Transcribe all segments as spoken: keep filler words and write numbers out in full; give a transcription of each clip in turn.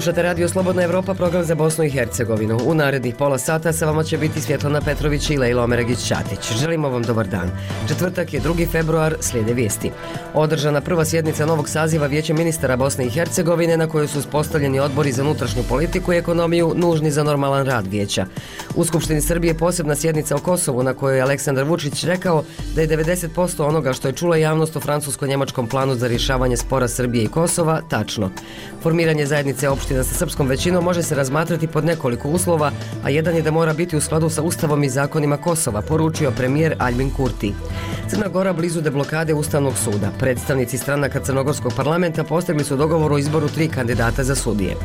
Slušate Radio Slobodna Evropa, program za Bosnu i Hercegovinu. U narednih pola sata sa vama će biti Svjetlana Petrović i Lejla Omeragić-Ćatić. Želimo vam dobar dan. Četvrtak je drugi februar, slijede vijesti. Održana prva sjednica novog saziva Vijeća ministara Bosne i Hercegovine na kojoj su uspostavljeni odbori za unutrašnju politiku i ekonomiju nužni za normalan rad vijeća. U Skupštini Srbije posebna sjednica o Kosovu na kojoj je Aleksandar Vučić rekao da je devedeset posto onoga što je čula javnost o francusko-njemačkom planu za rješavanje spora Srbije i Kosova tačno. Formiranje zajednice opština sa srpskom većinom može se razmatrati pod nekoliko uslova, a jedan je da mora biti u skladu sa Ustavom i zakonima Kosova, poručio premijer Aljbin Kurti. Crna Gora blizu deblokade Ustavnog suda. Predstavnici stranaka Crnogorskog parlamenta postigli su dogovor o izboru tri kandidata za sudije.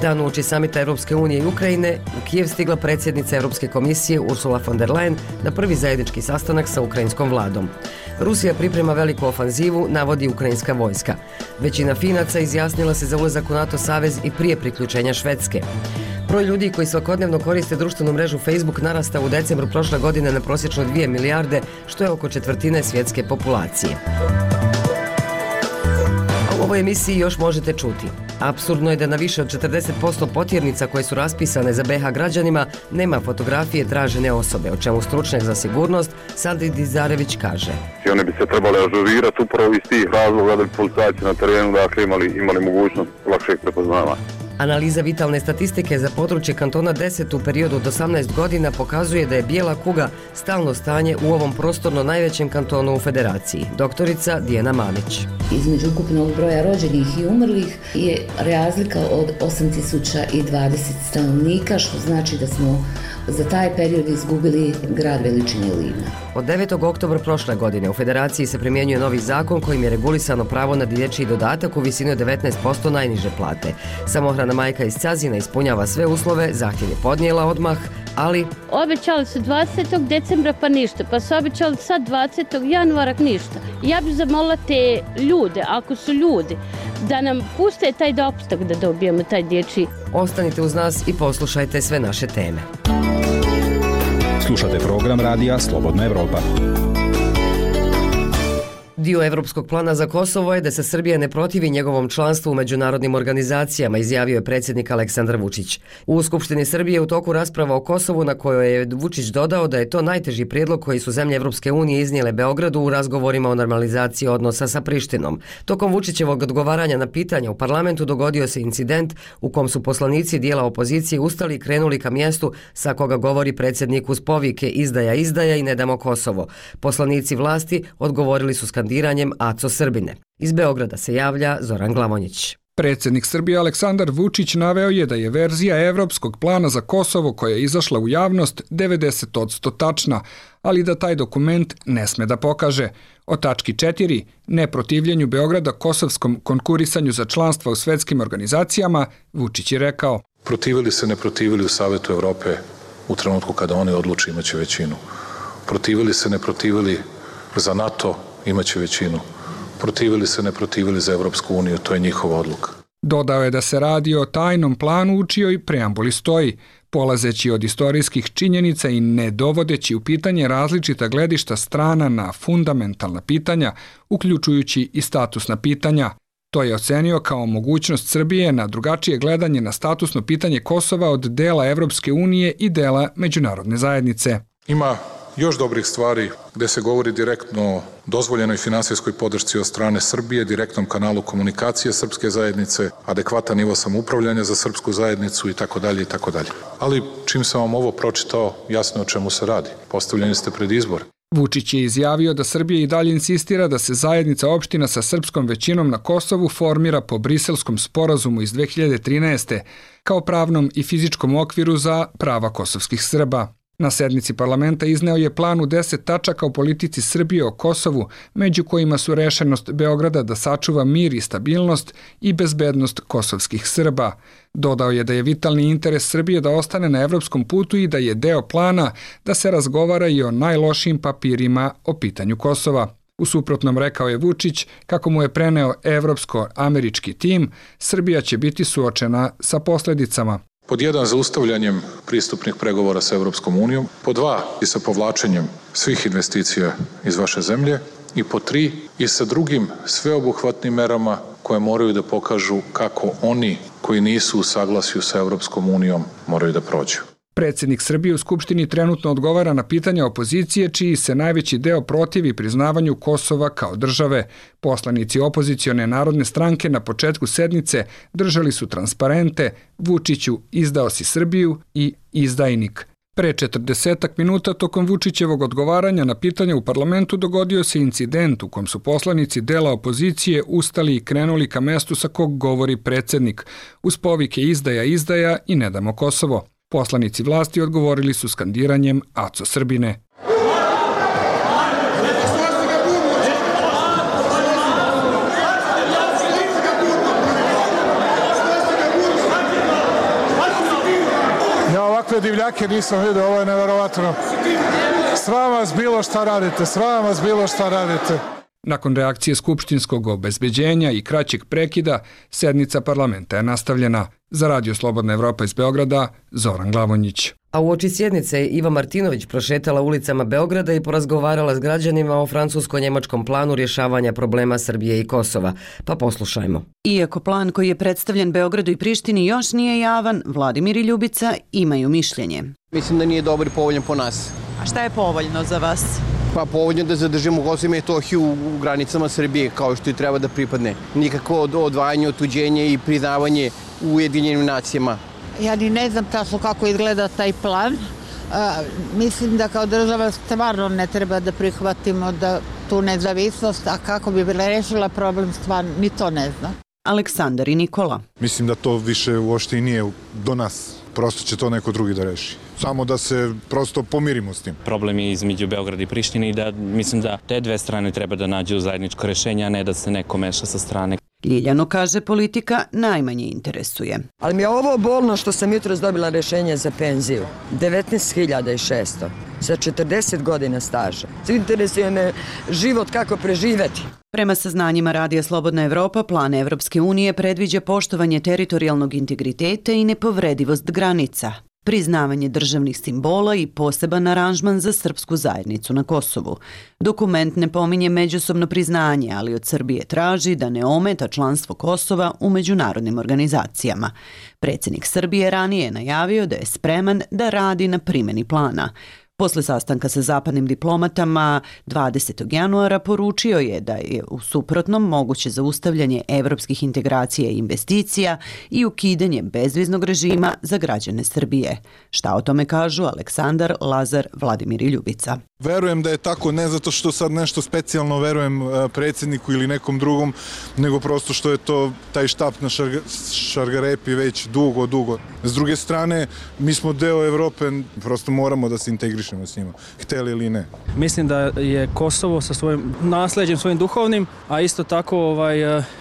Dan uoči samita Europske unije i Ukrajine, u Kijev stigla predsjednica Europske komisije Ursula von der Leyen na prvi zajednički sastanak sa ukrajinskom vladom. Rusija priprema veliku ofanzivu, navodi ukrajinska vojska. Većina Finaca izjasnila se za ulazak u NATO savez i prije priključenja Švedske. Broj ljudi koji svakodnevno koriste društvenu mrežu Facebook narastao u decembru prošle godine na prosječno dvije milijarde, što je oko četvrtine svjetske populacije. U ovoj emisiji još možete čuti. Apsurdno je da na više od četrdeset posto potjernica koje su raspisane za be ha građanima nema fotografije tražene osobe, o čemu stručnjak za sigurnost Sandri Dizarević kaže. I one bi se trebali ažurirati upravo iz tih razloga da bi policajci na terenu dakle, imali, imali mogućnost lakšeg prepoznavanja. Analiza vitalne statistike za područje kantona deset u periodu od osamnaest godina pokazuje da je bijela kuga stalno stanje u ovom prostorno najvećem kantonu u federaciji. Doktorica Dijana Mamić. Između ukupnog broja rođenih i umrlih je razlika od osam tisuća dvadeset stanovnika, što znači da smo za taj period izgubili grad veličine Livna. Od devetog oktobra prošle godine u federaciji se primjenjuje novi zakon kojim je regulisano pravo na dječji dodatak u visini od devetnaest posto najniže plate. Samohrana majka iz Cazina ispunjava sve uslove, zahtjev je podnijela odmah, ali... Obećali su dvadesetog decembra pa ništa, pa su obećali sad dvadesetog januara ništa. Ja bih zamolila te ljude, ako su ljudi, da nam puste taj dopustak da dobijemo taj dječji. Ostanite uz nas i poslušajte sve naše teme. Slušate program radija Slobodna Evropa. Dio Evropskog plana za Kosovo je da se Srbija ne protivi njegovom članstvu u međunarodnim organizacijama, izjavio je predsjednik Aleksandar Vučić. U Skupštini Srbije u toku rasprava o Kosovu na kojoj je Vučić dodao da je to najteži prijedlog koji su zemlje Evropske unije iznijele Beogradu u razgovorima o normalizaciji odnosa sa Prištinom. Tokom Vučićevog odgovaranja na pitanja u parlamentu dogodio se incident u kom su poslanici dijela opozicije ustali i krenuli ka mjestu sa koga govori predsjednik uz povike izdaja, izdaja i ne damo Kosovo. Poslanici vlasti odgovorili su skandiranjem Aco Srbine. Iz Beograda se javlja Zoran Glavonjić. Predsjednik Srbije Aleksandar Vučić naveo je da je verzija Evropskog plana za Kosovo koja je izašla u javnost devedeset posto tačna, ali da taj dokument ne sme da pokaže. O tački četiri, neprotivljenju Beograda kosovskom konkurisanju za članstva u svetskim organizacijama, Vučić je rekao: Protivili se, ne protivili u Savetu Evrope u trenutku kada oni odluče imaće većinu. Protivili se, ne protivili za NATO, imaće većinu. Protivili se, ne protivili za Evropsku uniju, to je njihova odluka. Dodao je da se radi o tajnom planu u čijoj preambuli stoji, polazeći od istorijskih činjenica i ne dovodeći u pitanje različita gledišta strana na fundamentalna pitanja, uključujući i statusna pitanja. To je ocenio kao mogućnost Srbije na drugačije gledanje na statusno pitanje Kosova od dela Evropske unije i dela međunarodne zajednice. Ima još dobrih stvari gde se govori direktno o dozvoljenoj finansijskoj podršci od strane Srbije, direktnom kanalu komunikacije srpske zajednice, adekvatan nivo samoupravljanja za srpsku zajednicu i tako dalje i tako dalje. Ali čim sam vam ovo pročitao, jasno je o čemu se radi. Postavljeni ste pred izbor. Vučić je izjavio da Srbija i dalje insistira da se zajednica opština sa srpskom većinom na Kosovu formira po Briselskom sporazumu iz dve hiljade trinaeste kao pravnom i fizičkom okviru za prava kosovskih Srba. Na sednici parlamenta izneo je plan u deset tačaka o politici Srbije o Kosovu, među kojima su rešenost Beograda da sačuva mir i stabilnost i bezbednost kosovskih Srba. Dodao je da je vitalni interes Srbije da ostane na evropskom putu i da je deo plana da se razgovara i o najlošijim papirima o pitanju Kosova. U suprotnom, rekao je Vučić, kako mu je preneo evropsko-američki tim, Srbija će biti suočena sa posljedicama. Pod jedan, zaustavljanjem pristupnih pregovora sa Evropskom unijom. Pod dva, i sa povlačenjem svih investicija iz vaše zemlje. I pod tri, i sa drugim sveobuhvatnim merama koje moraju da pokažu kako oni koji nisu u saglasju sa Evropskom unijom moraju da prođu. Predsjednik Srbije u Skupštini trenutno odgovara na pitanja opozicije, čiji se najveći deo protivi priznavanju Kosova kao države. Poslanici opozicione narodne stranke na početku sednice držali su transparente Vučiću izdao si Srbiju i izdajnik. Pre četrdesetak minuta tokom Vučićevog odgovaranja na pitanja u parlamentu dogodio se incident u kom su poslanici dela opozicije ustali i krenuli ka mestu sa kog govori predsjednik, uz povike izdaja, izdaja i ne damo Kosovo. Poslanici vlasti odgovorili su skandiranjem Aco Srbine. Ja ovakve divljake nisam vidio, ovo je neverovatno. Sram vas bilo šta radite, sram vas bilo šta radite. Nakon reakcije skupštinskog obezbeđenja i kraćeg prekida, sednica parlamenta je nastavljena. Za Radio Slobodna Evropa iz Beograda, Zoran Glavonjić. A uoči sjednice Iva Martinović prošetala ulicama Beograda i porazgovarala s građanima o francusko-njemačkom planu rješavanja problema Srbije i Kosova. Pa poslušajmo. Iako plan koji je predstavljen Beogradu i Prištini još nije javan, Vladimir i Ljubica imaju mišljenje. Mislim da nije dobar i povoljan po nas. A šta je povoljno za vas? Pa povoljno da zadržimo Kosovo i Metohiju u granicama Srbije kao što i treba da pripadne. Nikako odvajanje, otuđenje i priznavanje u Ujedinjenim nacijama. Ja ni ne znam tačno kako izgleda taj plan. A, mislim da kao država stvarno ne treba da prihvatimo da tu nezavisnost, a kako bi bila rešila problem stvarno, ni to ne znam. Aleksandar i Nikola. Mislim da to više uopšte i nije do nas. Prosto će to neko drugi da reši. Samo da se prosto pomirimo s tim. Problem je između Beograda i Prištine i da mislim da te dve strane treba da nađu zajedničko rešenje, a ne da se neko meša sa strane. Ljiljano kaže politika najmanje interesuje. Ali mi je ovo bolno što sam jutros dobila rešenje za penziju. devetnaest hiljada šesto za četrdeset godina staža. Interesuje me život kako preživeti. Prema saznanjima Radija Slobodna Evropa, plan Evropske unije predviđa poštovanje teritorijalnog integriteta i nepovredivost granica, priznavanje državnih simbola i poseban aranžman za srpsku zajednicu na Kosovu. Dokument ne pominje međusobno priznanje, ali od Srbije traži da ne ometa članstvo Kosova u međunarodnim organizacijama. Predsjednik Srbije ranije je najavio da je spreman da radi na primjeni plana. Posle sastanka sa zapadnim diplomatama dvadesetog januara poručio je da je u suprotnom moguće zaustavljanje evropskih integracija i investicija i ukidanje bezviznog režima za građane Srbije. Šta o tome kažu Aleksandar, Lazar, Vladimir i Ljubica? Verujem da je tako, ne zato što sad nešto specijalno verujem predsjedniku ili nekom drugom, nego prosto što je to taj štap na šarga, šargarepi već dugo, dugo. S druge strane, mi smo deo Evrope, prosto moramo da se integrišemo s njima, hteli ili ne. Mislim da je Kosovo sa svojim nasleđem, svojim duhovnim, a isto tako ovaj,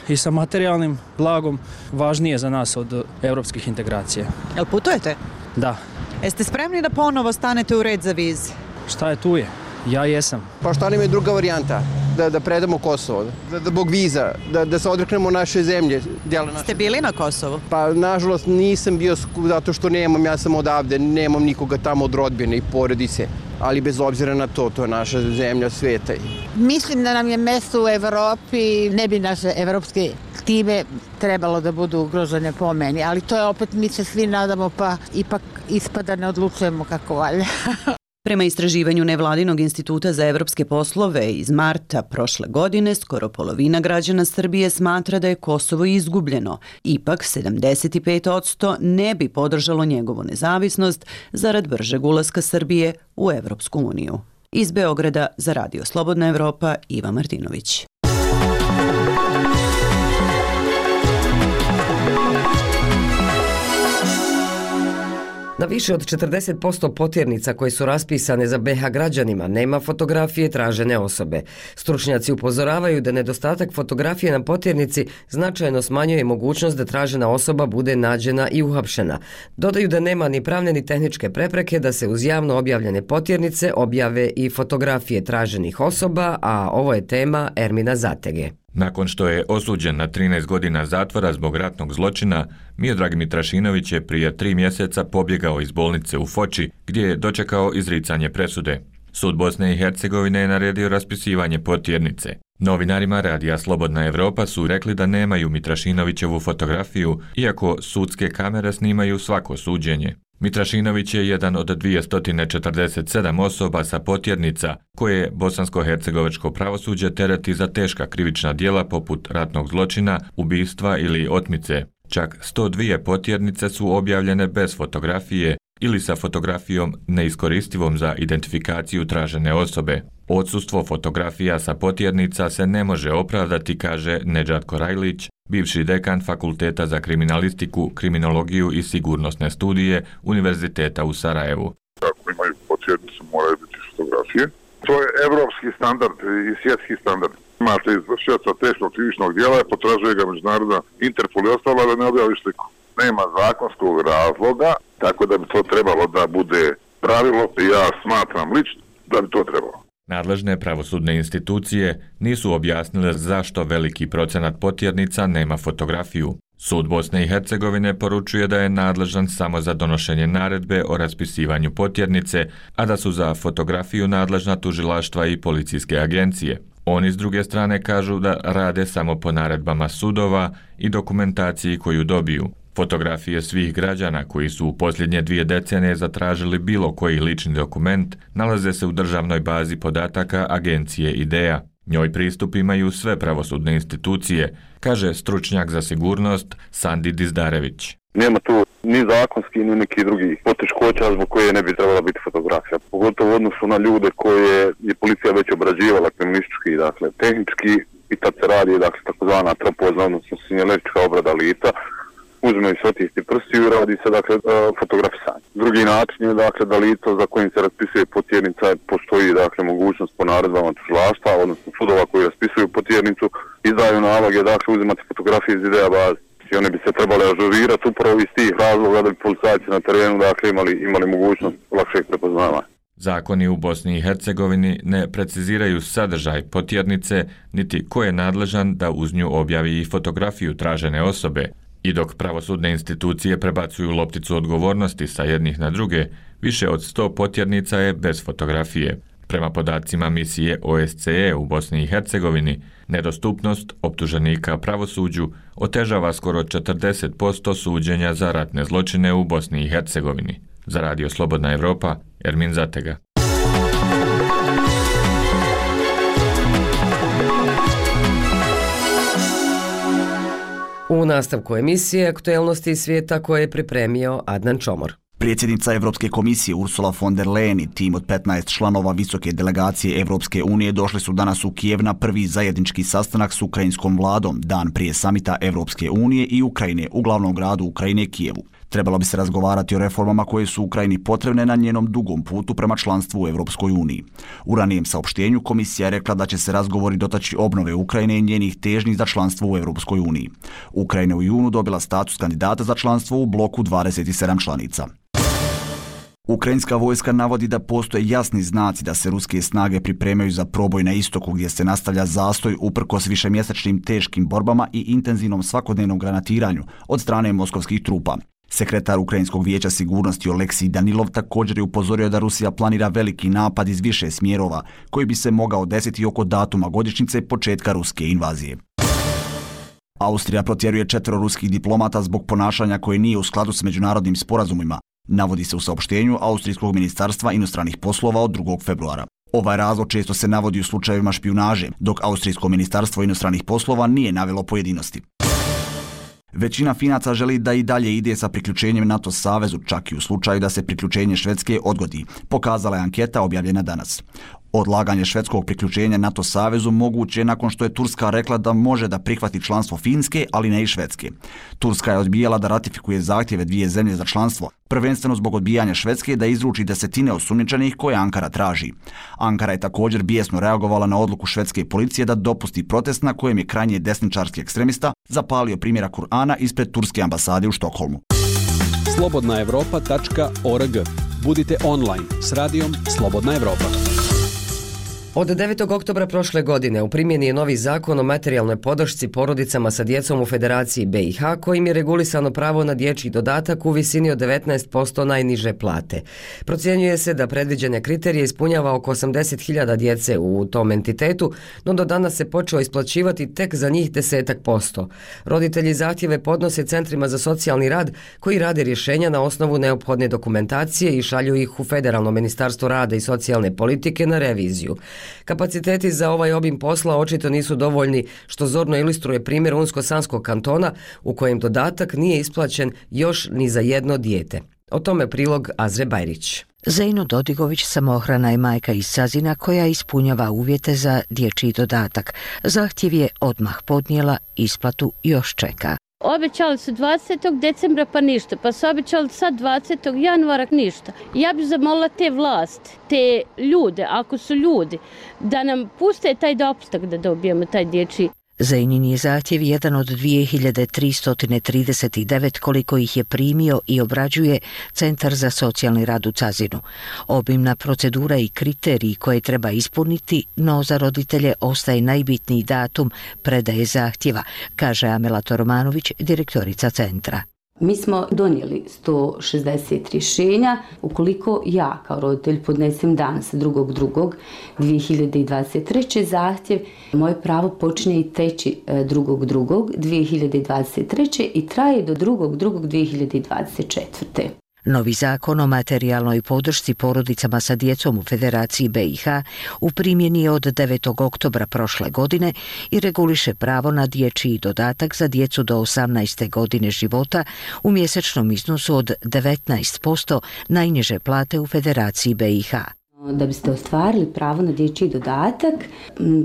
i sa materijalnim blagom važnije za nas od evropskih integracija. Jel putujete? Da. Jeste spremni da ponovo stanete u red za vize? Šta je tu je? Ja jesam. Pa šta nam je druga varijanta? Da, da predamo Kosovo, da, da bog viza, da, da se odreknemo naše zemlje. Naše... Ste bili na Kosovu? Pa nažalost nisam bio zato što nemam, ja sam odavde, nemam nikoga tamo od rodbine i porodice. Ali bez obzira na to, to je naša zemlja sveta. Mislim da nam je mesto u Evropi, ne bi naše evropske time trebalo da budu ugrožene po meni, ali to je opet, mi se svi nadamo, pa ipak ispada ne odlučujemo kako valja. Prema istraživanju Nevladinog instituta za evropske poslove iz marta prošle godine, skoro polovina građana Srbije smatra da je Kosovo izgubljeno. Ipak sedamdeset pet posto ne bi podržalo njegovu nezavisnost zarad bržeg ulaska Srbije u Evropsku uniju. Iz Beograda za Radio Slobodna Evropa, Iva Martinović. Na više od četrdeset posto potjernica koje su raspisane za be ha građanima nema fotografije tražene osobe. Stručnjaci upozoravaju da nedostatak fotografije na potjernici značajno smanjuje mogućnost da tražena osoba bude nađena i uhapšena. Dodaju da nema ni pravne ni tehničke prepreke da se uz javno objavljene potjernice objave i fotografije traženih osoba, a ovo je tema Ermina Zatege. Nakon što je osuđen na trinaest godina zatvora zbog ratnog zločina, Miodrag Mitrašinović je prije tri mjeseca pobjegao iz bolnice u Foči, gdje je dočekao izricanje presude. Sud Bosne i Hercegovine je naredio raspisivanje potjernice. Novinarima Radija Slobodna Evropa su rekli da nemaju Mitrašinovićevu fotografiju, iako sudske kamere snimaju svako suđenje. Mitrašinović je jedan od dvjesto četrdeset sedam osoba sa potjernica koje bosansko-hercegovačko pravosuđe tereti za teška krivična djela poput ratnog zločina, ubistva ili otmice. Čak sto dvije potjernice su objavljene bez fotografije ili sa fotografijom neiskoristivom za identifikaciju tražene osobe. Odsustvo fotografija sa potjernica se ne može opravdati, kaže Nedžad Korajlić, bivši dekan Fakulteta za kriminalistiku, kriminologiju i sigurnosne studije Univerziteta u Sarajevu. Ako imaju potjernicu, moraju biti fotografije. To je evropski standard i svjetski standard. Imate izvršioca teškog krivičnog djela, potražuje ga međunarodna Interpol i ostalo da ne objavi sliku. Nema zakonskog razloga, tako da bi to trebalo da bude pravilo i ja smatram lično da bi to trebalo. Nadležne pravosudne institucije nisu objasnile zašto veliki procenat potjernica nema fotografiju. Sud Bosne i Hercegovine poručuje da je nadležan samo za donošenje naredbe o raspisivanju potjernice, a da su za fotografiju nadležna tužilaštva i policijske agencije. Oni s druge strane kažu da rade samo po naredbama sudova i dokumentaciji koju dobiju. Fotografije svih građana koji su u posljednje dvije decenije zatražili bilo koji lični dokument nalaze se u državnoj bazi podataka agencije IDEA. Njoj pristup imaju sve pravosudne institucije, kaže stručnjak za sigurnost Sandi Dizdarević. Nema tu ni zakonski, ni neki drugi poteškoća zbog koje ne bi trebala biti fotografija. Pogotovo u odnosu na ljude koje je policija već obrađivala kriminalistički, dakle tehnički, i tad se radi dakle, takozvana tropozna, odnosno sinjalistička obrada lica. Uzmeju se otisci prstiju i radi se dakle fotografisanje. Drugi način je dakle da lice za kojim se raspisuje potjernica postoji dakle mogućnost po naredbama tužilaštva, odnosno sudova koji raspisuju potjernicu, izdaju naloge dakle uzimati fotografije iz IDEA baze. I one bi se trebale ažurirati upravo iz tih razloga da bi policajci na terenu dakle imali, imali mogućnost lakšeg prepoznavanja. Zakoni u Bosni i Hercegovini ne preciziraju sadržaj potjernice, niti ko je nadležan da uz nju objavi i fotografiju tražene osobe. I dok pravosudne institucije prebacuju lopticu odgovornosti sa jednih na druge, više od sto potjernica je bez fotografije. Prema podacima misije O S C E u Bosni i Hercegovini, nedostupnost optuženika pravosuđu otežava skoro četrdeset posto suđenja za ratne zločine u Bosni i Hercegovini. Za Radio Slobodna Evropa, Ermin Zatega. U nastavku emisije Aktuelnosti svijeta koje je pripremio Adnan Čomor. Predsjednica Evropske komisije Ursula von der Leyen i tim od petnaest članova visoke delegacije Evropske unije došli su danas u Kijev na prvi zajednički sastanak s ukrajinskom vladom, dan prije samita Evropske unije i Ukrajine u glavnom gradu Ukrajine Kijevu. Trebalo bi se razgovarati o reformama koje su Ukrajini potrebne na njenom dugom putu prema članstvu u Evropskoj uniji. U ranijem saopštenju komisija je rekla da će se razgovori dotaći obnove Ukrajine i njenih težnji za članstvo u Evropskoj uniji. Ukrajina u junu dobila status kandidata za članstvo u bloku dvadeset sedam članica. Ukrajinska vojska navodi da postoje jasni znaci da se ruske snage pripremaju za proboj na istoku gdje se nastavlja zastoj uprkos višemjesečnim teškim borbama i intenzivnom svakodnevnom granatiranju od strane moskovskih trupa. Sekretar Ukrajinskog vijeća sigurnosti Oleksij Danilov također je upozorio da Rusija planira veliki napad iz više smjerova koji bi se mogao desiti oko datuma godišnjice početka ruske invazije. Austrija protjeruje četvero ruskih diplomata zbog ponašanja koje nije u skladu s međunarodnim sporazumima, navodi se u saopštenju Austrijskog ministarstva inostranih poslova od drugog februara. Ovaj razlog često se navodi u slučajevima špijunaže, dok Austrijsko ministarstvo inostranih poslova nije navelo pojedinosti. Većina Finaca želi da i dalje ide sa priključenjem NATO savezu, čak i u slučaju da se priključenje Švedske odgodi, pokazala je anketa objavljena danas. Odlaganje švedskog priključenja NATO savezu moguće je nakon što je Turska rekla da može da prihvati članstvo Finske, ali ne i Švedske. Turska je odbijala da ratifikuje zahtjeve dvije zemlje za članstvo, prvenstveno zbog odbijanja Švedske da izruči desetine osumnjičenih koje Ankara traži. Ankara je također bijesno reagovala na odluku švedske policije da dopusti protest na kojem je krajnje desničarski ekstremista zapalio primjera Kur'ana ispred turske ambasade u Štokholmu. slobodna evropa tačka org. Budite online s radijom Slobodna Evropa. Od devetog oktobra prošle godine u primjeni je novi zakon o materijalnoj podršci porodicama sa djecom u Federaciji B i H kojim je regulisano pravo na dječji dodatak u visini od devetnaest posto najniže plate. Procjenjuje se da predviđene kriterije ispunjava oko osamdeset hiljada djece u tom entitetu, no do danas se počeo isplaćivati tek za njih desetak posto. Roditelji zahtjeve podnose centrima za socijalni rad koji rade rješenja na osnovu neophodne dokumentacije i šalju ih u Federalno ministarstvo rada i socijalne politike na reviziju. Kapaciteti za ovaj obim posla očito nisu dovoljni, što zorno ilustruje primjer Unsko-Sanskog kantona u kojem dodatak nije isplaćen još ni za jedno dijete. O tome prilog Azre Bajrić. Zejno Dodigović samohrana je majka iz Sazina koja ispunjava uvjete za dječji dodatak. Zahtjev je odmah podnijela, isplatu još čeka. Obećali su dvadesetog decembra pa ništa, pa su obećali sad dvadesetog januara ništa. Ja bih zamolila te vlasti, te ljude, ako su ljudi, da nam puste taj dopustak da dobijemo taj dječji. Zejnin je zahtjev jedan od dvije hiljade tristo trideset devet koliko ih je primio i obrađuje Centar za socijalni rad u Cazinu. Obimna procedura i kriteriji koje treba ispuniti, no za roditelje ostaje najbitniji datum predaje zahtjeva, kaže Amela Toromanović, direktorica centra. Mi smo donijeli sto šezdeset rješenja. Ukoliko ja kao roditelj podnesem danas drugog drugog dvije hiljade dvadeset treće zahtjev, moje pravo počinje i treći drugog drugog dvije hiljade dvadeset treće i traje do drugog drugog dvije hiljade dvadeset četvrte. Novi zakon o materijalnoj podršci porodicama sa djecom u Federaciji B i H u primjeni je od devetog oktobra prošle godine i reguliše pravo na dječji dodatak za djecu do osamnaeste godine života u mjesečnom iznosu od devetnaest posto najniže plate u Federaciji B i H. Da biste ostvarili pravo na dječji dodatak,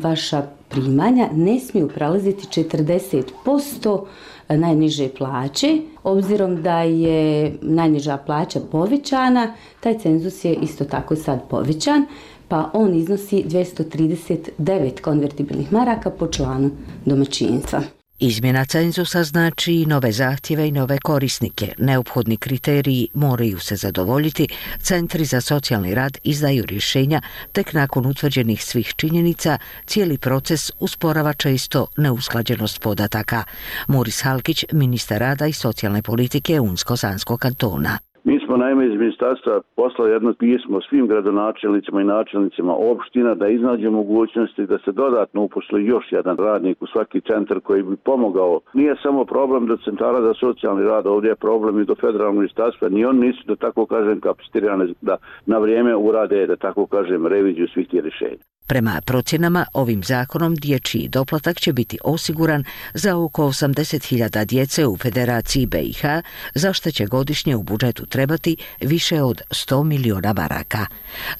vaša primanja ne smiju prelaziti četrdeset posto najniže plaće. Obzirom da je najniža plaća povećana, taj cenzus je isto tako sad povećan, pa on iznosi dvjesto trideset devet konvertibilnih maraka po članu domaćinstva. Izmjena cenzusa znači i nove zahtjeve i nove korisnike. Neophodni kriteriji moraju se zadovoljiti. Centri za socijalni rad izdaju rješenja tek nakon utvrđenih svih činjenica. Cijeli proces usporava često neusklađenost podataka. Muris Halkić, ministar rada i socijalne politike Unsko-Sanskog kantona. Mi smo naime iz ministarstva poslali jedno pismo svim gradonačelnicima i načelnicima opština da iznađe mogućnosti da se dodatno uposli još jedan radnik u svaki centar koji bi pomogao. Nije samo problem do centara za socijalni rad, ovdje je problem i do federalnog ministarstva. Ni on nisu, da tako kažem, kapacitirane da na vrijeme urade, da tako kažem, reviziju svih tih rješenja. Prema procjenama, ovim zakonom dječji doplatak će biti osiguran za oko osamdeset hiljada djece u Federaciji B i H, za što će godišnje u budžetu trebati više od sto miliona maraka.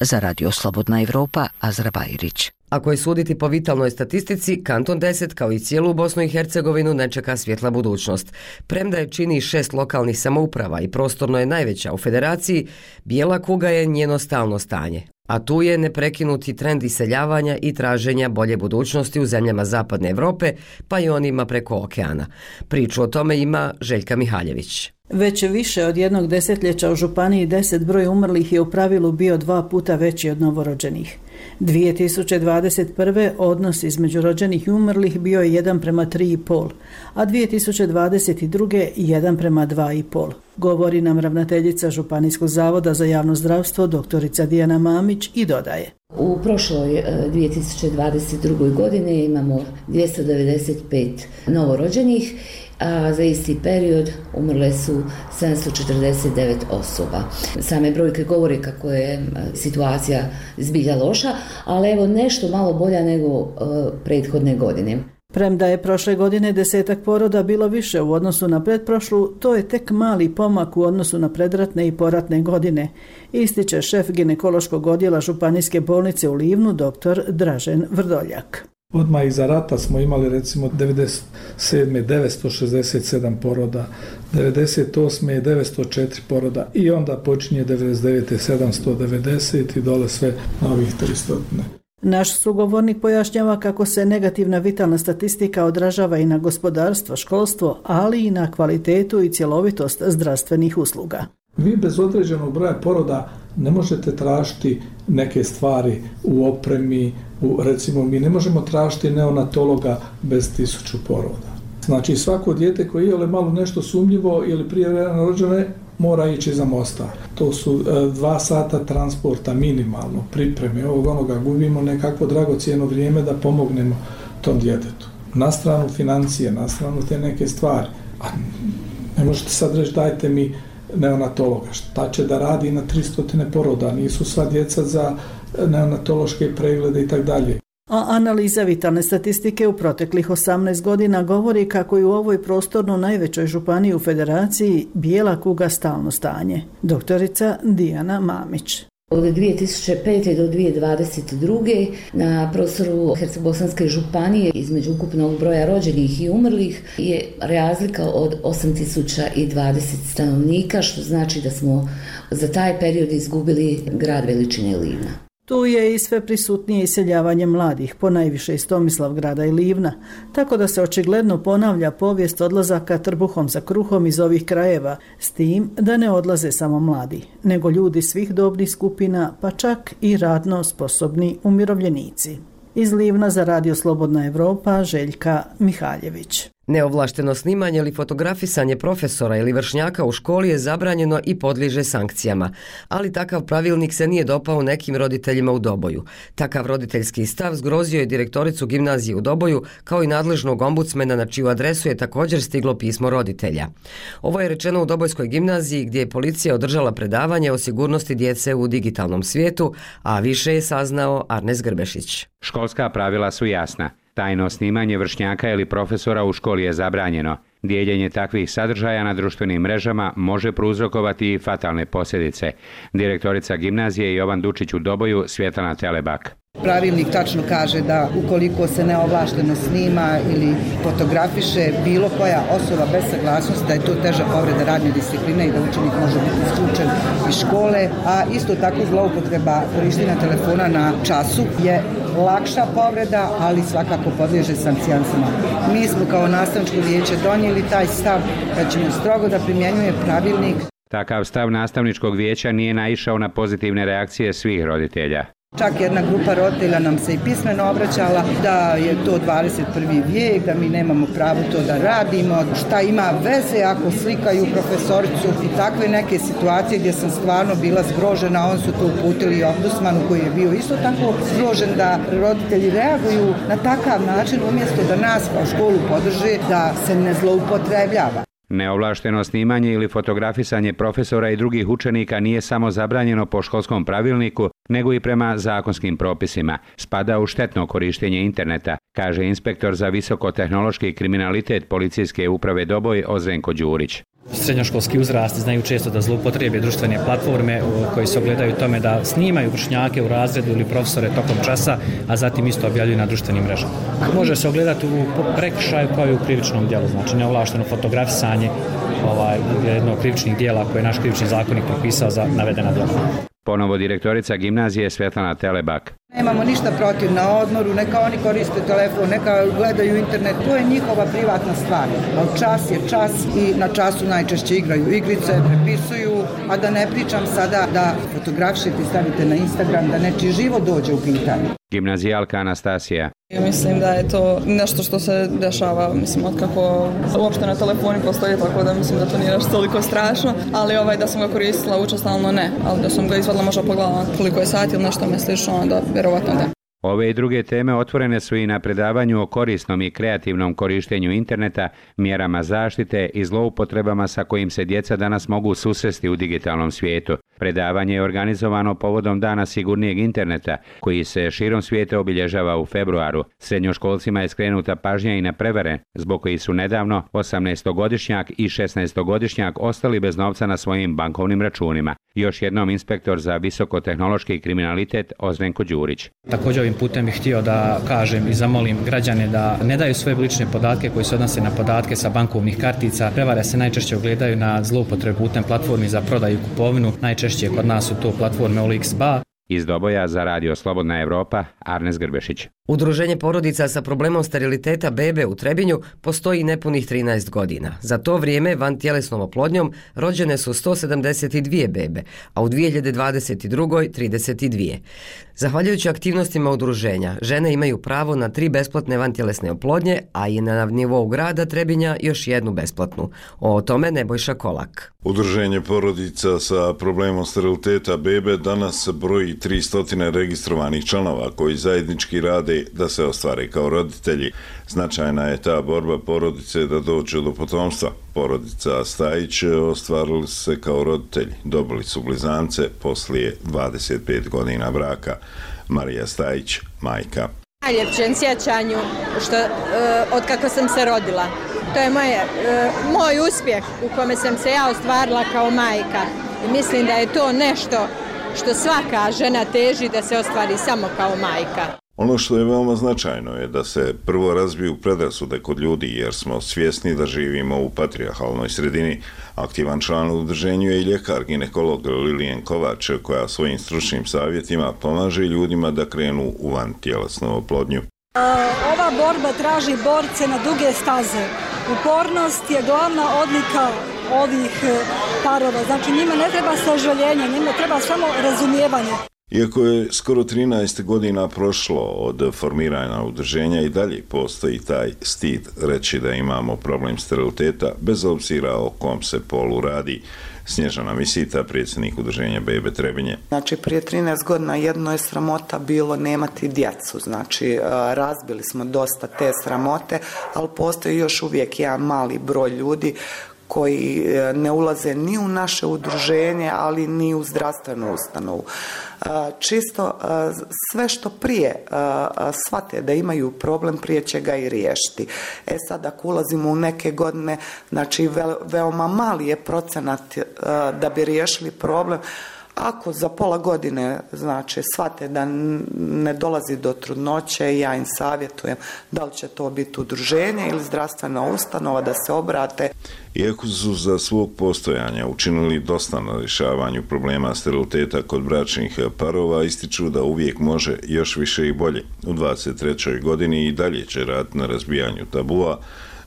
Za Radio Slobodna Evropa, Azra Bajrić. Ako je suditi po vitalnoj statistici, Kanton deset kao i cijelu Bosnu i Hercegovinu ne čeka svjetla budućnost. Premda je čini šest lokalnih samouprava i prostorno je najveća u Federaciji, bijela kuga je njeno stalno stanje. A tu je neprekinuti trend iseljavanja i traženja bolje budućnosti u zemljama Zapadne Evrope, pa i onima preko okeana. Priču o tome ima Željka Mihaljević. Već više od jednog desetljeća u Županiji deset broj umrlih je u pravilu bio dva puta veći od novorođenih. dvije tisuće dvadeset prve odnos između rođenih i umrlih bio je jedan prema tri i pol, a dvije tisuće dvadeset druge jedan prema dva i pol. Govori nam ravnateljica Županijskog zavoda za javno zdravstvo doktorica Dijana Mamić i dodaje. U prošloj dvije tisuće dvadeset druge. godine imamo dvjesto devedeset pet novorođenih, a za isti period umrle su sedamsto četrdeset devet osoba. Same brojke govore kako je situacija zbilja loša, ali evo nešto malo bolja nego uh, prethodne godine. Premda je prošle godine desetak poroda bilo više u odnosu na pretprošlu, to je tek mali pomak u odnosu na predratne i poratne godine, ističe šef ginekološkog odjela Županijske bolnice u Livnu, doktor Dražen Vrdoljak. Odmah iza rata smo imali recimo devedeset sedme. devetsto šezdeset sedam poroda, devedeset osme. devetsto četiri poroda i onda počinje devedeset devete. sedamsto devedeset i dole sve novih tristo. Naš sugovornik pojašnjava kako se negativna vitalna statistika odražava i na gospodarstvo, školstvo, ali i na kvalitetu i cjelovitost zdravstvenih usluga. Vi bez određenog broja poroda ne možete tražiti neke stvari u opremi, U, recimo, mi ne možemo tražiti neonatologa bez tisuću poroda. Znači, svako dijete koje je malo nešto sumnjivo ili prijevremeno rođene mora ići za Mostar. To su e, dva sata transporta minimalno, pripreme, ovog onoga, gubimo nekakvo dragocijeno vrijeme da pomognemo tom djetetu. Na stranu financije, na stranu te neke stvari. A ne možete sad reći dajte mi neonatologa. Šta će da radi na tristo poroda? Nisu sva djeca za neonatološke preglede i tako dalje. A analiza vitalne statistike u proteklih osamnaest godina govori kako je u ovoj prostorno najvećoj županiji u federaciji bijela kuga stalno stanje. Doktorica Dijana Mamić. Od dvije tisuće pete do dvije tisuće dvadeset druge na prostoru Herceg-Bosanske županije između ukupnog broja rođenih i umrlih je razlika od osam tisuća dvadeset stanovnika, što znači da smo za taj period izgubili grad veličine Livna. Tu je i sve prisutnije iseljavanje mladih, ponajviše iz Tomislavgrada i Livna, tako da se očigledno ponavlja povijest odlazaka trbuhom za kruhom iz ovih krajeva, s tim da ne odlaze samo mladi, nego ljudi svih dobnih skupina, pa čak i radno sposobni umirovljenici. Iz Livna za Radio Slobodna Evropa, Željka Mihaljević. Neovlašteno snimanje ili fotografisanje profesora ili vršnjaka u školi je zabranjeno i podliježe sankcijama, ali takav pravilnik se nije dopao nekim roditeljima u Doboju. Takav roditeljski stav zgrozio je direktoricu gimnazije u Doboju, kao i nadležnog ombudsmena na čiju adresu je također stiglo pismo roditelja. Ovo je rečeno u Dobojskoj gimnaziji gdje je policija održala predavanje o sigurnosti djece u digitalnom svijetu, a više je saznao Arnes Grbešić. Školska pravila su jasna. Tajno snimanje vršnjaka ili profesora u školi je zabranjeno. Dijeljenje takvih sadržaja na društvenim mrežama može prouzrokovati i fatalne posljedice. Direktorica gimnazije Jovan Dučić u Doboju, Svjetlana Telebak. Pravilnik tačno kaže da ukoliko se neovlašteno snima ili fotografiše bilo koja osoba bez saglasnosti, da je to teža povreda radne discipline i da učenik može biti isključen iz škole, a isto tako zloupotreba korištenja telefona na času je lakša povreda, ali svakako podliježe sankcijama. Mi smo kao nastavničko vijeće donijeli taj stav da ćemo strogo da primjenjuje pravilnik. Takav stav nastavničkog vijeća nije naišao na pozitivne reakcije svih roditelja. Čak jedna grupa roditelja nam se i pismeno obraćala da je to dvadeset prvi vijek, da mi nemamo pravo to da radimo, šta ima veze ako slikaju profesoricu i takve neke situacije gdje sam stvarno bila zgrožena. On su to uputili i ombudsmanu koji je bio isto tako zgrožen da roditelji reaguju na takav način umjesto da nas kao školu podrže da se ne zloupotrebljava. Neovlašteno snimanje ili fotografisanje profesora i drugih učenika nije samo zabranjeno po školskom pravilniku, nego i prema zakonskim propisima. Spada u štetno korištenje interneta, kaže inspektor za visokotehnološki kriminalitet Policijske uprave Doboj Ozrenko Đurić. Srednjoškolski uzrasti znaju često da zloupotrijebe društvene platforme koji se ogledaju tome da snimaju vršnjake u razredu ili profesore tokom časa, a zatim isto objavljuju na društvenim mrežama. Može se ogledati u prekršaju kao i u krivičnom djelu, znači neovlašteno fotografisanje ovaj, jednog krivičnih djela koje je naš krivični zakonik propisao za navedena djela. Ponovo direktorica gimnazije Svetlana Telebak. Nemamo ništa protiv na odmoru, neka oni koriste telefon, neka gledaju internet, to je njihova privatna stvar. Ali čas je čas i na času najčešće igraju igrice, prepisuju, a da ne pričam sada da fotografišete i stavite na Instagram, da nečiji život dođe u pitanje. Gimnazijalka Anastasija. Mislim da je to nešto što se dešava, mislim, od kako uopšte na telefoni postoji, tako da mislim da to nije nešto toliko strašno, ali ovaj, da sam ga koristila učestalno ne, ali da sam ga izvadila možda pogledala koliko je sati ili nešto me slično, onda vjerovatno da. Ove i druge teme otvorene su i na predavanju o korisnom i kreativnom korištenju interneta, mjerama zaštite i zloupotrebama sa kojim se djeca danas mogu susresti u digitalnom svijetu. Predavanje je organizovano povodom Dana sigurnijeg interneta, koji se širom svijeta obilježava u februaru. Srednjoškolcima je skrenuta pažnja i na prevare, zbog koji su nedavno osamnaestogodišnjak i šesnaestogodišnjak ostali bez novca na svojim bankovnim računima. Još jednom inspektor za visokotehnološki kriminalitet Ozrenko Đurić. Također ovim putem bih htio da kažem i zamolim građane da ne daju svoje lične podatke koji se odnose na podatke sa bankovnih kartica. Prevare se najčešće ogledaju na zloupotrebu putem platformi za prodaju i kupovinu. Najčešće kod nas su to platforme O L X B A. Iz Doboja za Radio Slobodna Evropa, Arnes Grbešić. Udruženje porodica sa problemom steriliteta bebe u Trebinju postoji nepunih trinaest godina. Za to vrijeme vantjelesnom oplodnjom rođene su sto sedamdeset dvije bebe, a u dvije hiljade dvadeset druge. trideset dvije. Zahvaljujući aktivnostima udruženja, žene imaju pravo na tri besplatne vantjelesne oplodnje, a i na nivou grada Trebinja još jednu besplatnu. O tome Nebojša Kolak. Udruženje porodica sa problemom steriliteta bebe danas broji tristo registrovanih članova koji zajednički rade da se ostvare kao roditelji. Značajna je ta borba porodice da dođe do potomstva. Porodica Stajić ostvarili se kao roditelji. Dobili su blizance poslije dvadeset pet godina braka. Marija Stajić, majka. Najljepšem sjećanju što, uh, od kako sam se rodila. To je moje, uh, moj uspjeh u kome sam se ja ostvarila kao majka. I mislim da je to nešto što svaka žena teži da se ostvari samo kao majka. Ono što je veoma značajno je da se prvo razbiju predrasude kod ljudi jer smo svjesni da živimo u patrijarhalnoj sredini. Aktivan član u udruženju je i ljekar ginekolog Lilijan Kovač koja svojim stručnim savjetima pomaže ljudima da krenu u vantjelesnu oplodnju. Ova borba traži borce na duge staze. Upornost je glavna odlika ovih parova. Znači njima ne treba sažaljenje, njima treba samo razumijevanje. Iako je skoro trinaest godina prošlo od formiranja udruženja i dalje postoji taj stid reći da imamo problem steriliteta bez obzira o kom se polu radi. Snježana Misita, predsjednik udruženja Bebe Trebinje. Znači prije trinaest godina jedno je sramota bilo nemati djecu, znači razbili smo dosta te sramote, ali postoji još uvijek jedan mali broj ljudi koji ne ulaze ni u naše udruženje, ali ni u zdravstvenu ustanovu. Čisto sve što prije shvate da imaju problem, prije će ga i riješiti. E sad, ako ulazimo u neke godine, znači veoma mali je procenat da bi riješili problem. Ako za pola godine, znači, shvate da ne dolazi do trudnoće, ja im savjetujem da li će to biti udruženje ili zdravstvena ustanova da se obrate. Iako su za svog postojanja učinili dosta na rješavanju problema steriliteta kod bračnih parova, ističu da uvijek može još više i bolje. U dvadeset trećoj godini i dalje će raditi na razbijanju tabua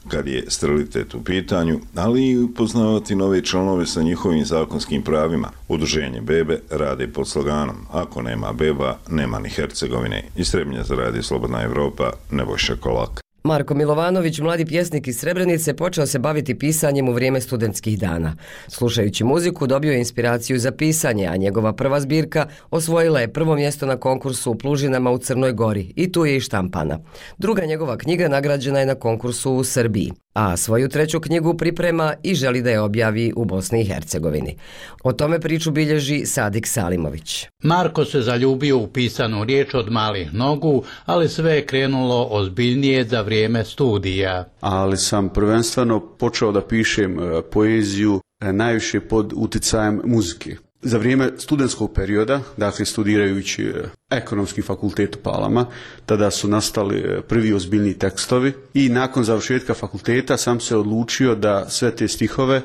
kad je sterilitet u pitanju, ali i upoznavati nove članove sa njihovim zakonskim pravima. Udruženje Bebe rade pod sloganom ako nema beba, nema ni Hercegovine. Iz Trebinja za Radio Slobodna Evropa, Nebojša Kolak. Marko Milovanović, mladi pjesnik iz Srebrenice, počeo se baviti pisanjem u vrijeme studentskih dana. Slušajući muziku dobio je inspiraciju za pisanje, a njegova prva zbirka osvojila je prvo mjesto na konkursu u Plužinama u Crnoj Gori i tu je i štampana. Druga njegova knjiga nagrađena je na konkursu u Srbiji, a svoju treću knjigu priprema i želi da je objavi u Bosni i Hercegovini. O tome priču bilježi Sadik Salimović. Marko se zaljubio u pisanu riječ od malih nogu, ali sve je krenulo ozbiljnije za vrijeme studija. Ali sam prvenstveno počeo da pišem poeziju najviše pod uticajem muzike. Za vrijeme studentskog perioda, dakle studirajući ekonomski fakultet u Palama, tada su nastali prvi ozbiljni tekstovi i nakon završetka fakulteta sam se odlučio da sve te stihove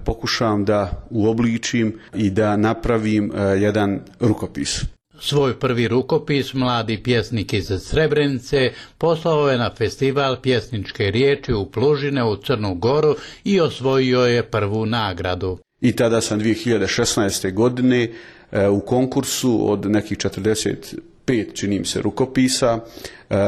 pokušam da uobličim i da napravim jedan rukopis. Svoj prvi rukopis mladi pjesnik iz Srebrenice poslao je na festival pjesničke riječi u Plužine u Crnu Goru i osvojio je prvu nagradu. I tada sam dvije hiljade šesnaeste. godine u konkursu od nekih četrdeset pet, čini mi se, rukopisa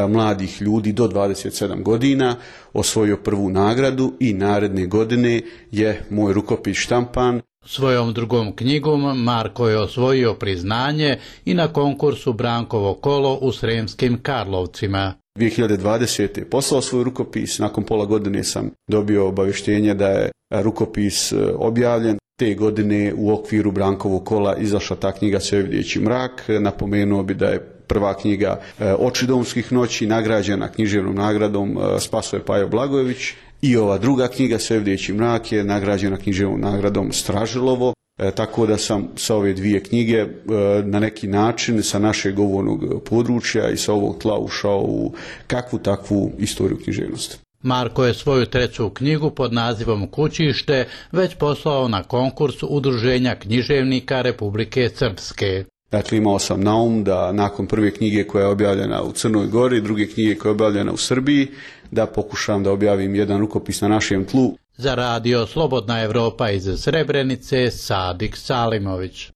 mladih ljudi do dvadeset sedam godina osvojio prvu nagradu i naredne godine je moj rukopis štampan. Svojom drugom knjigom Marko je osvojio priznanje i na konkursu Brankovo kolo u Sremskim Karlovcima. dvije hiljade dvadesete. poslao svoj rukopis, nakon pola godine sam dobio obavještenje da je rukopis objavljen. Te godine u okviru Brankovog kola izašla ta knjiga Sve vidjeći mrak. Napomenuo bi da je prva knjiga Oči domskih noći nagrađena književnom nagradom Spasoje Pajo Blagojević i ova druga knjiga Sve vidjeći mrak je nagrađena književnom nagradom Stražilovo. E, tako da sam sa ove dvije knjige e, na neki način sa našeg govornog područja i sa ovog tla ušao u kakvu takvu istoriju književnosti. Marko je svoju treću knjigu pod nazivom Kućište već poslao na konkurs Udruženja književnika Republike Srpske. Dakle, imao sam na um da nakon prve knjige koja je objavljena u Crnoj Gori, druge knjige koja je objavljena u Srbiji, da pokušam da objavim jedan rukopis na našem tlu. Za radio Slobodna Evropa iz Srebrenice, Sadik Salimović.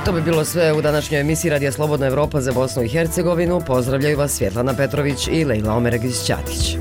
To bi bilo sve u današnjoj emisiji Radija Slobodna Evropa za Bosnu i Hercegovinu. Pozdravljaju vas Svjetlana Petrović i Lejla Omeregić-Ćatić.